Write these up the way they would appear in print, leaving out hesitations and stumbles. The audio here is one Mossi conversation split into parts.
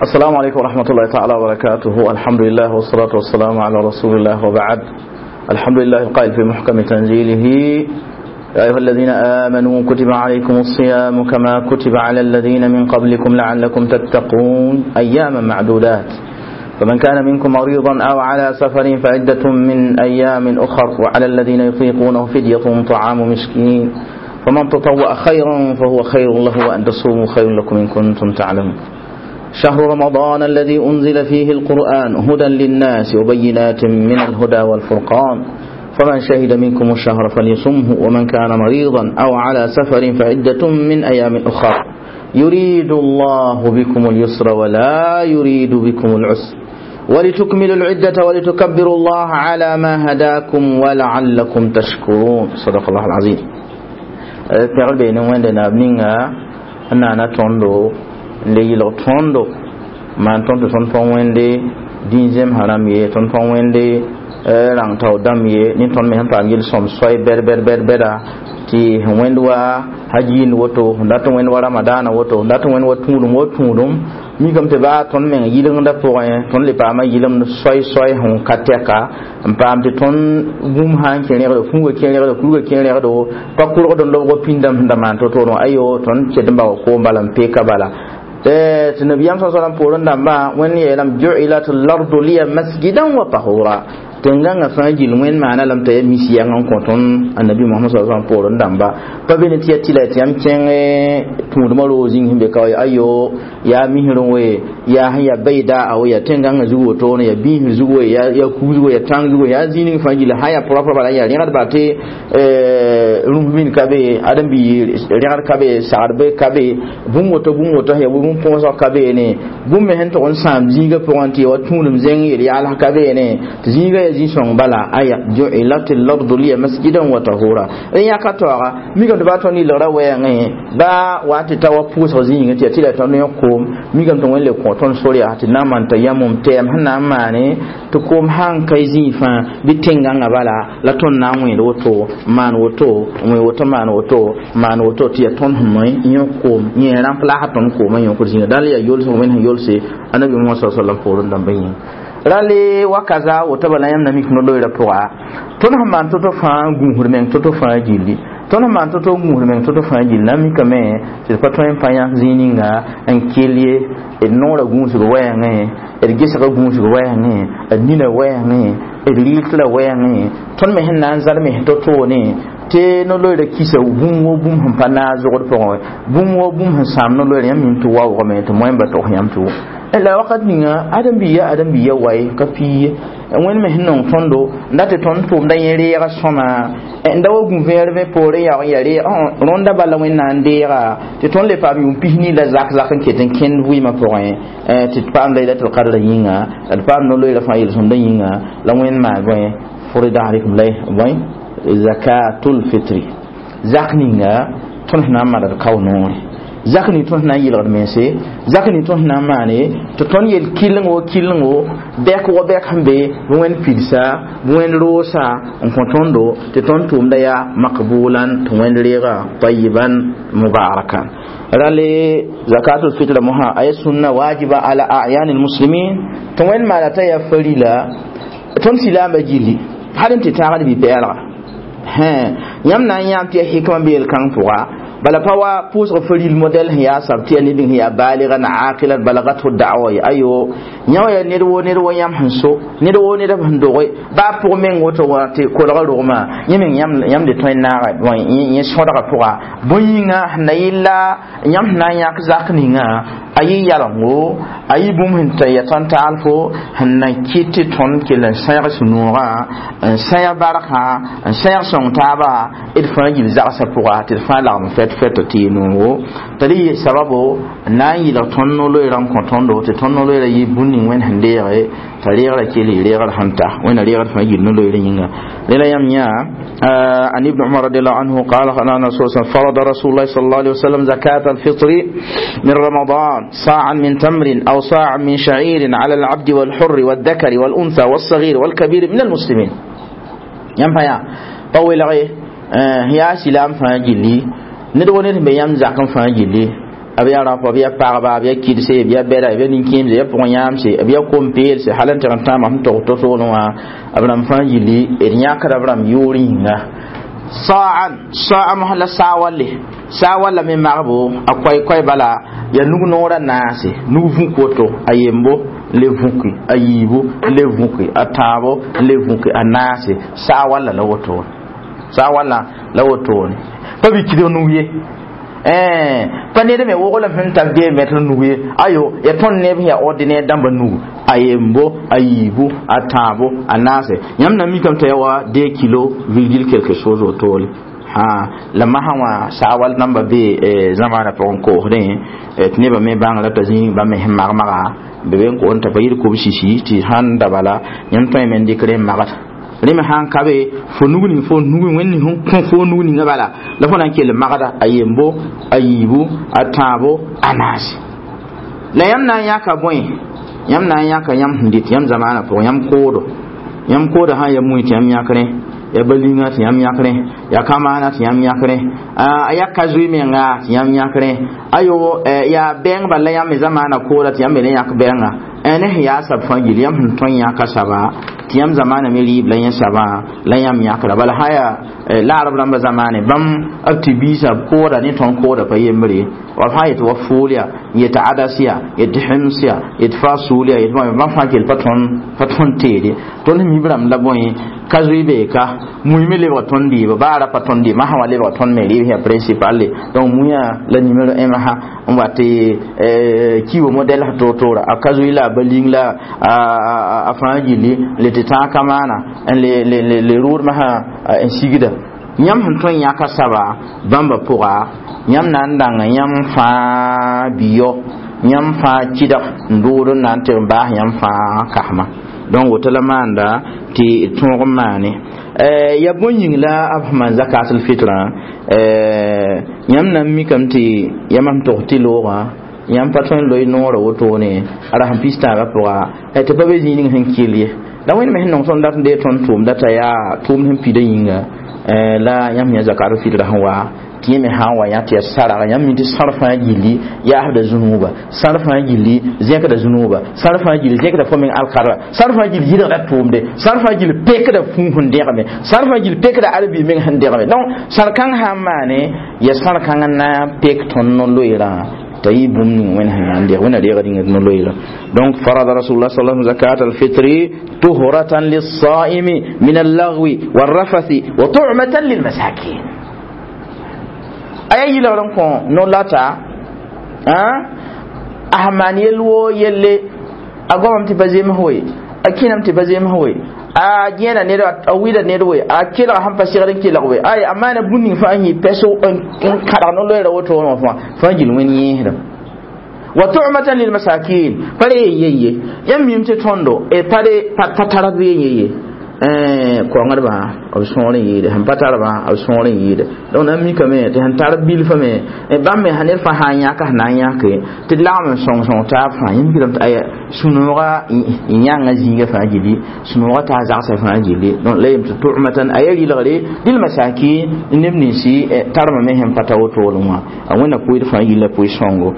السلام عليكم ورحمة الله تعالى وبركاته. الحمد لله والصلاة والسلام على رسول الله وبعد. الحمد لله القائل في محكم تنزيله: يا أيها الذين آمنوا كتب عليكم الصيام كما كتب على الذين من قبلكم لعلكم تتقون أياما معدودات، فمن كان منكم مريضا أو على سفر فعدة من أيام أخر، وعلى الذين يطيقونه فدية طعام مسكين، فمن تطوع خيرا فهو خير له، وأن تصوموا خير لكم إن كنتم تعلمون. شهر رمضان الذي أنزل فيه القرآن هدى للناس وبينات من الهدى والفرقان، فمن شهد منكم الشهر فليصمه، ومن كان مريضا أو على سفر فعدة من أيام أخر، يريد الله بكم اليسر ولا يريد بكم العسر، ولتكملوا العدة ولتكبروا الله على ما هداكم ولعلكم تشكرون. صدق الله العظيم. Pɛgr bee ne wẽnde naab ninga n naana tõndo n le yɩlg tõndo maan tõnd tɩ tõnd pa wẽnde dĩn zemsã rãmb ye, tõnd pa wẽnde rãng tao dãmb ye, ne tõnd me sẽn paam yel-sõm soay bɛd bɛd bɛd bɛda tɩ sẽn wẽnd wa hajiind woto, sẽn dat n wẽnd wa ramadaana woto, sẽn dat n wẽnd wa tũudum wo tũudum, mikame tɩ baa tõnd meng yɩlengdã pʋgẽ tõnd le paama yɩlemd soay soay sẽn ka tɛka n paam tɩ tõnd bũmb sã n kẽ rẽgdo, fuugã kẽ rẽgdo, kurgã kẽ rẽgdo, pa kʋrgd n lobg pĩndame sẽn da maan to-toorẽ. Ayo, tõnd ket n bao koom bala n peka bala tɩ nabiyam sa sallam poorẽ dãmbã wẽnd yeelame ju'ilat lardu liya masjidan wa tahura, tẽn-gãngã fãa gill wẽnd maana lame t'a yaa mis yɛng n kõ tõnd annabi Mohamad sa sallam poorẽ dãmba pa be ne tɩ ya tɩla tɩ yãmb kẽng tũudmã roog zĩng sẽn be ka wa ayo, yaa misr we, yaa sẽn yaa bayda a we, yaa tẽn-gãngã zug wotone, yaa biisr zug we, yaa kug zug we, yaa tãng zug we, yaa zĩig ning fãa gill sã yaa propre bala yaa rẽgd tɩ rũmb min ka be, ãdem-bi rẽgd ka be, sagd be ka be, bũmb woto bũmb woto yaa bũmb põosg ka beene, bũmb me sẽn tʋg n sãam zĩigã pʋgẽ tɩ ya wa tũudem zẽng yel-yaals ka beene, tɩ zĩigã yaa zĩ-sõng bala. Aya ju'ilat al-ardu liya masjidan wa tahura. Rẽ yãka taooga mikame tɩ baa tõnd yɩlgra wɛɛngẽ baa wa tɩ ta wa pʋʋsg zĩigẽ tɩ yaa tɩ la tõnd yõ koom, mikame tɩ wẽnd le kõ tõnd sor yaa tɩ na n maan t'a yamum tɛɛm sẽn na n maane tɩ koom sãn ka zĩig fãa bɩ tẽn-gãngã bala la tõnd na n wẽed woto, maan woto, wẽ woto, maan woto, maan woto, tɩ yaa tõnd sẽn moe yõ koom yẽ rãmp la tõnd koomã yõkd zĩiga dãl yaa yolsg wẽnd sẽn yolse annabi Muhammad sa sallam poorẽ dãmbã yĩnga. Rale wa kaza woto bala yãmb na mik no-loeera pʋga tõnd sẽn maan to-to fãa gũusd meng to-to fãa gilli, tõnd sẽn maan to-to gũusd meng to-to fãa gilli na n mikame tɩ d pa tõe n pa yãk zĩig ninga n kell ye, d noorã gũusg wɛɛngẽ, d gesgã gũusg wɛɛngẽ, d nina wɛɛngẽ, d rɩɩtla wɛɛngẽ, tõnd me sẽn na n zãlme to-toone tɩ no-loeera kisa bũmb wo bũmb sẽn pa naag zogd pʋgẽ, bũmb wo bũmb sẽn sãam no-loeera yãmb nin tɩ waoogame tɩ moẽmba tog yãmb tɩ wʋm la wakat ninga ãdem-biiya ãdem-biiya waye ka pii ye wẽnd me sẽn nong tõndo n dat tɩ tõnd tʋʋmda yẽ reega sõma n da wa gũ-vẽer vẽ poorẽ yaoog n yaa reeg rõnda bala wẽnd na n deega tɩ tõnd le paam yʋʋm pis-nii la zak zak n ket n kẽnd vɩɩmã pʋgẽ tɩ d paam laylatul qadrã yĩnga, d paam no-loeera fãa yel-sõmdã yĩnga la wẽnd maan bõe furida alaikum lay bõe zakatul fitri zak ninga tõnd sẽn na n maan d kao noore, zak ning tõnd sẽn na n yɩlgd mense, zak ning tõnd sẽn na n maane tɩ tõnd yel kɩleng wo kɩlengo bɛk wa bɛk sẽn be bɩ wẽnd pidsa bɩ wẽnd roosa n kõ tõndo tɩ tõnd tʋʋmda yaa makbulan tɩ wẽnd reega tayiban mubarakan. Rale zakatul fitra mosã a ya sũnna wajiba ala a'yan almuslimin tɩ wẽnd maana t'a yaa farila tõnd silaambã gilli hal n tɩ taagd bɩ-pɛɛlga yãmb na n yãam tɩ yaa hikmã be yel-kãng pʋga bala pa wa pʋʋsg faril modɛl sẽn yaa sab tɩ yaa ned sẽn yaa baaligan aqilan balagathu da'wa ye ayo yã wa yaa ned woo ned wo yãmb sẽn so ned woo ned sẽn doge baa pʋg meng woto wa tɩ kolga rogmã yẽ meng yãmb de tõe n naaga yẽ sõdga pʋga bõe yĩnga sẽn na yɩlla yãmb sẽn na n yãk zak ninga a yɩ yalengo a yɩ bũmb sẽn ta ya tõnd taalfo sẽn na kɩt tɩ tõnd kell n sãeg sũ-noogã n sãeg barkã n sãeg sõng taaba d fãa gill zagsã pʋga tɩ d fãa lagem fɛt fɛt tɩ yɩ noogo t'a rɩ sababo n na n yɩlg tõnd no-loeerã n kõ tõndo tɩ tõnd no-loeerã yɩ bũn ning wẽnd sẽn deege t'a reegrã kell y reegr sẽn ta wẽnna reegr fãa gill no-loeerã yĩnga rẽla yãmb yã. عن ابن عمر رضي الله عنه قال قال فرض رسول الله صلى الله عليه وسلم زكاة الفطر من رمضان صاعا من تمر أو صاعا من شعير على العبد والحر والذكر والأنثى والصغير والكبير من المسلمين. يام يا طويل غي يا سلام فاجلي ندو ند بيام زكام فاجلي B yaa rapa, b yaa pagba, b yaa kidse, b yaa bɛda, b yaa nin-kẽemse, b yaa pʋg-yãamse, b yaa kom-peelse, hal n tɩg n tãama sẽn tog to-toolẽ wã, b rãmb fãa gilli d yãkda b rãmb yoor yĩnga. Sa'an sa'a mosã la saa walle, saa walla me magbo a koɛɛ-koɛɛ bala yaa nug noora naase, nug vũk woto, a yembo n le vũki, a yiibu n le vũki, a tãabo n le vũki, a naase, saa walla la wotone, saa walla la wotone, pa bɩ kidg nug ye. Pa ned me woglem sẽn tar dee mɛtr nug ye, ayo ya tõnd neb sẽn yaa ordinaire dãmba nug, a yembo, a yiibu, a tãabo, a naase. Yãmb na mikame t'a yaa wa 2 kilo virgule quelque chose wotole. Ha la masã wã saa wall namba be zamaanã pʋgẽ koosdẽ tɩ nebã me bãngrã t'a zĩ bãmb me sẽn mag-maga be be n koond t'a pa yɩl kobsisi tɩ sãn da bala yãmb tõeme n dɩk rẽ n magd rẽ me sãn ka be fo nug ning fo nug wẽnd sẽn kõ fo nug ninga bala la fo na n kell magda a yembo, a yiibu, a tãabo, a naase. La yãmb na n yãka bõe? Yãmb na n yãka yãmb sẽn dɩt yãmb zamaanã pʋgẽ, yãmb koodo, yãmb kooda sã n ya mui tɩ yãmb yãk rẽ, ya balinga tɩ yãmb yãk rẽ, ya kamaana tɩ yãmb yãk rẽ, a ya ka zoe menga tɩ yãmb yãk rẽ, ayo yaa bɛng bala yãmb me zamaanã kooda tɩ yãmb me ne yãk bɛnga ne sẽn yaa sab fãa gil yãmb sẽn tõe n yãka saba tɩ yãmb zamaanã me rɩɩb la yẽ sabã la yãmb yãkra bala sã yaa laarb rãmba zamaane bãmb b tɩ biisã b kooda ne tõnd kooda pa yembre wa fãa yetɩ wa fool ya, yetɩ adas ya, yetɩ hems ya, yetɩ fasul ya, yetɩ bãmb fãa kell pa tõnd teede. Tõnd mib rãmb la bõe ka zoe beeka mui me lebg tõnd dɩɩba baa ra pa tõnd dɩɩb masã wã lebg tõnd me rɩɩb sẽn principal le. Donc muiã la nimero 1 masã n wa tɩ kiibo modɛl sã toor-toora a ka zoe la a baling la a fãa gilli le tɩ tãag kamaana n le rʋʋd masã n sigda. Yãmb sẽn tõe n yãka saba bãmba pʋga yãmb na n dãnga yãmb fãa biyo, yãmb fãa kɩdg n dʋʋd n na n tɩg n baas yãmb fãa kasma. Donc woto la maanda tɩ tõog n maane ya bõe yĩng la b sẽn maan zakatul fitrã. Yãmb na n mikame tɩ yãmb sẽn tog tɩ loogã yãmb pa tõe n loe noorã wotone a rasem pis-tãagã pʋga tɩ pa be zĩig ning sẽn kell ye. La wẽnd me sẽn nong tõnd dat n dee tõnd tʋʋmda t'a yaa tʋʋmd sẽn pida yĩnga la yãmb yã zakatul fitrã sẽn wa tɩ yẽ me sã n wa yã tɩ yaa sarg yãmb mi tɩ sãr fãa gilli yaasda zũnuuba, sãr fãa gilli zẽkda zũnuuba, sãr fãa gilli zẽkda fo meng alkarra, sãr fãa gilli yɩlgda tʋʋmde, sãr fãa gilli pekda fũu sẽn dẽgme, sãr fãa gilli pekda arbi meng sẽn dẽgme. Donc sãr kãng sã n maane ya sãr kãng n na n pek tõnd no-loeerã t'a yɩ bũmb ning wẽnd sẽn na n deg wẽnna reegd yĩnga no-loeerã. Donc farada rasulullah sallallahu alaihi wasallam zakat al-fitri tuhratan lis-sa'imi min al-laghwi war-rafathi wa tu'matan lil-masakin. Aya yilgr n kõ no-lata a sẽn maan yell woo yelle a goamame tɩ pa zems we, a kẽname tɩ pa zems we, a gẽena ned, a wɩda ned we, a kelga sẽn pa segd n kelg we, ay a maana bũmb ning fãa n yɩ pɛs n kãdg no-loeera woto wã fãa fãa gil wẽnd yẽesdem. Wa tu'matan lil masakin pa re yen ye yãmb mim tɩ tõndo pa pa tar b yen ye koŋdbã b sõor n yɩɩde, sẽn pa tarbã b sõor n yɩɩde. Donc na n mikame tɩ sẽn tar bilfã me bãmb me sã ned fãa sã n yãka sẽn na n yãke tɩ d lagm n sõng sõng taab fãa. Yãmb mikame tɩ aya sũ-noogã yãnga zĩiga fãa gilli, sũ-noogã taa zagsã fãa gilli. Donc la yem tɩ tu'matan a yaa rɩlgre lil masakin neb ninsi tarmã me sẽn pa ta wotolẽ wã a wẽnna pʋɩd fãa gilla pʋɩ sõngo.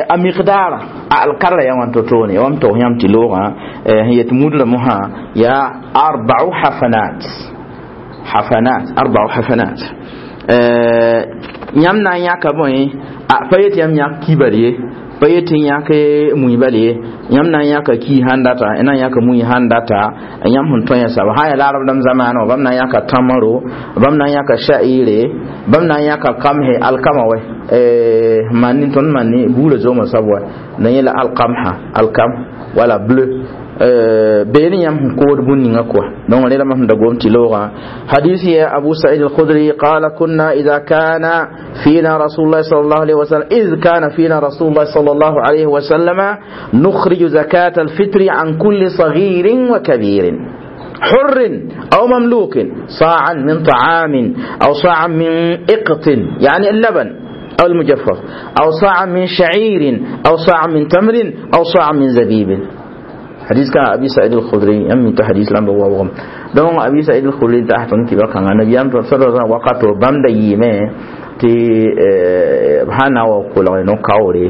A miqdaara a alkarra yaa wãn to-toone wam tog yãmb tɩ loogã sẽn yet mudra mosã yaa arba'u hafanat, hafanat arba'u hafanat. Yãmb na n yãka bõe a pa yet yãmb yãk kibal ye, pa yet n yãk mui bal ye, yãmb na n yãka ki sãn data, na n yãka mui sãn data yãmb sẽn tõe yã saba sã n yaa laarb dãmb zamaanã bãmb na n yãka tãmro, bãmb na n yãka sha'ire, bãmb na n yãka kamhe alkama wɛ manni tõnd manni buurã zooma soab wa na yẽla alkamha alkam wala bleu beene yãmb sẽn kood bũn ninga kɔa. Donc rẽla mam sẽn da gom tɩ loogã hadis ya Abu Sa'id al-Khudri qala kunna idha kana fina rasulullah sallallahu alayhi wa sallam iz kana fina rasulullah sallallahu alayhi wa sallam nukhrij zakat al-fitr an kulli saghirin wa kabirin حر أو مملوك صاعا من طعام أو صاعا من إقط يعني اللبن أو المجفف أو صاعا من شعير أو صاعا من تمر أو صاعا من زبيب. حديث كان أبي سعيد الخدري أمي تحديث لم بوابهم دون أبي سعيد الخدري تحت كبا كان النبي صلى الله عليه وسلم وقت بام ديمه Tɩ b sã na n wa kolg no-kaoore,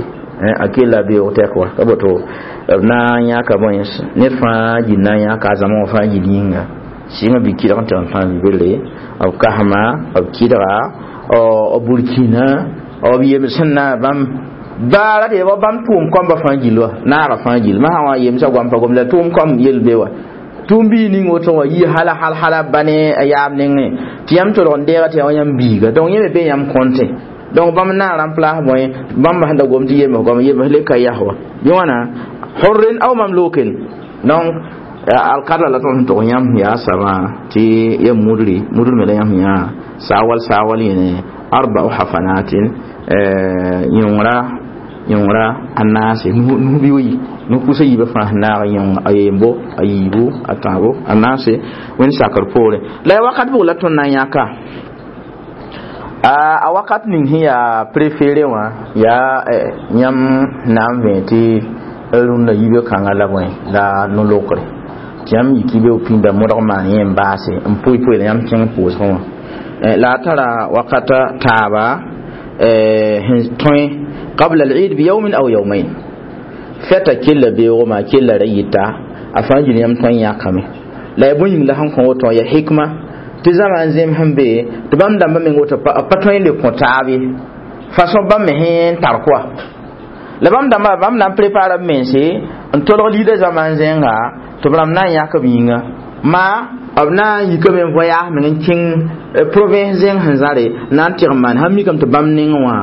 a kella beoog tɛk wa ka boto b na n yãka bõe ned fãa gil na n yãka a zãma wã fãa gil yĩnga sɩngã bɩ kɩdg n tɩg n tãag belle b kasma b kɩdga b burkina b yems sẽn na bãmb baara tɩ b bãmb tʋʋm kɔmbã fãa gil wa naaga fãa gil masã wã yemsa goam pa gom la tʋʋm kɔm yel be wa tʋʋm bii ning woto wã yi hala hal hala ba ne a yaab nengẽ tɩ yãmb tolg n deega tɩ yaa wa yãmb biiga. Donc yẽ me be yãmb kõnte. Donc bãmb na n rãmplaas bõe bãmb sẽn da gom tɩ yems goam yems le ka yas wa bɩ wãna hurrin aw mamlukin. Donc alkadra la tõnd sẽn tog yãmb yaa sabã tɩ ya mudri mudr me la yãmb yã saawal saawal yẽne arba'u hafanatin yõngra yõngra a naase nus bɩ wi nus pʋsa yiibã fãa sẽn naag yõng a yembo a yiibu a tãabo a naase wẽnd sakr poorẽ la ya wakat bʋg la tõnd na n yãka a wakat ning sẽn yaa préféré wã yaa yãmb na n vẽ tɩ rũndã yiibã kãngã la bõe la no-lokre tɩ yãmb yiki be pĩnda modg maan yẽ n baase n pʋɩ pʋɩ la yãmb kẽng pʋʋsgẽ wã la a tara wakata taaba sẽn tõe qabla al-eid bi yawmin aw yawmayn fɛta kella beoogmã kella ra yita a fãa gil yãmb tõe n yãkame la ya bõe yĩng la sẽn kõ woto ya hikma tɩ zãma n zẽm sẽn be tɩ bãmb dãmbã meng woto pa tõe n le kõ taab ye façon bãmb me sẽn tar koa la bãmb dãmbã bãmb na n prépara b mense n tolg liida zãma n zẽnga tɩ b rãmb na n yãk b yĩnga ma b na n yikame n voyage meng n kẽng province zẽng sẽn zãre na n tɩg n maan sãn mikame tɩ bãmb neng wã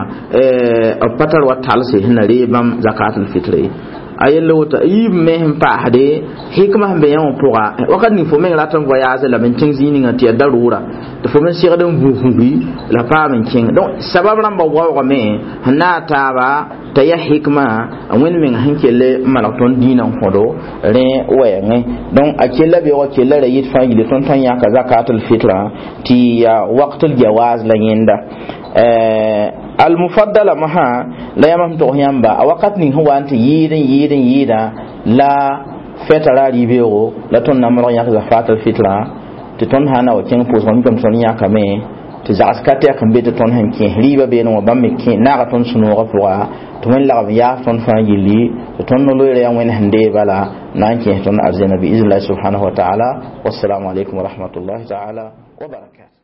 b pa tar wa talse sẽn na reeg bãmb zakatul fitre a yella woto yiib me sẽn paasde hikma sẽn be yã wã pʋga wakat ning fo meng rat n voyage la n kẽng zĩig ninga tɩ yaa darʋʋra tɩ fo me segd n vuusgi la paam n kẽng. Donc sabab rãmbã waoogame sẽn na a taaba t'a yaa hikma wẽnd meng sẽn kell n maneg tõnd dĩinã n kõdo rẽ wɛɛngẽ. Donc a kella beoogã kella ra yit fãa yile tõnd tõe n yãka zakatul fitra tɩ yaa waqtul jawaz la yẽnda almufaddala masã la yãmb sẽn tog yãmba a wakat ning sẽn wa n tɩ yɩɩd n yɩɩd n yɩɩda la fɛta ra rɩ-beoogo la tõnd na n modg yãk zakatul fitra tɩ tõnd sã n na wa kẽng pʋʋsgã mikame tõnd yãkame tɩ zags ka tɛk n be tɩ tõnd sẽn kẽ rɩɩbã beene wã bãmb me kẽ naaga tõnd sũ-noogã pʋga tɩ wẽnd lagm yaas tõnd fãa gilli tɩ tõnd no-loeera yaa wẽnd sẽn dee bala na n kẽes tõnd arzẽna bi iznillaahi subhanahu wa taala. Wassalamu alaikum wa rahmatullahi taala wa barakatuh.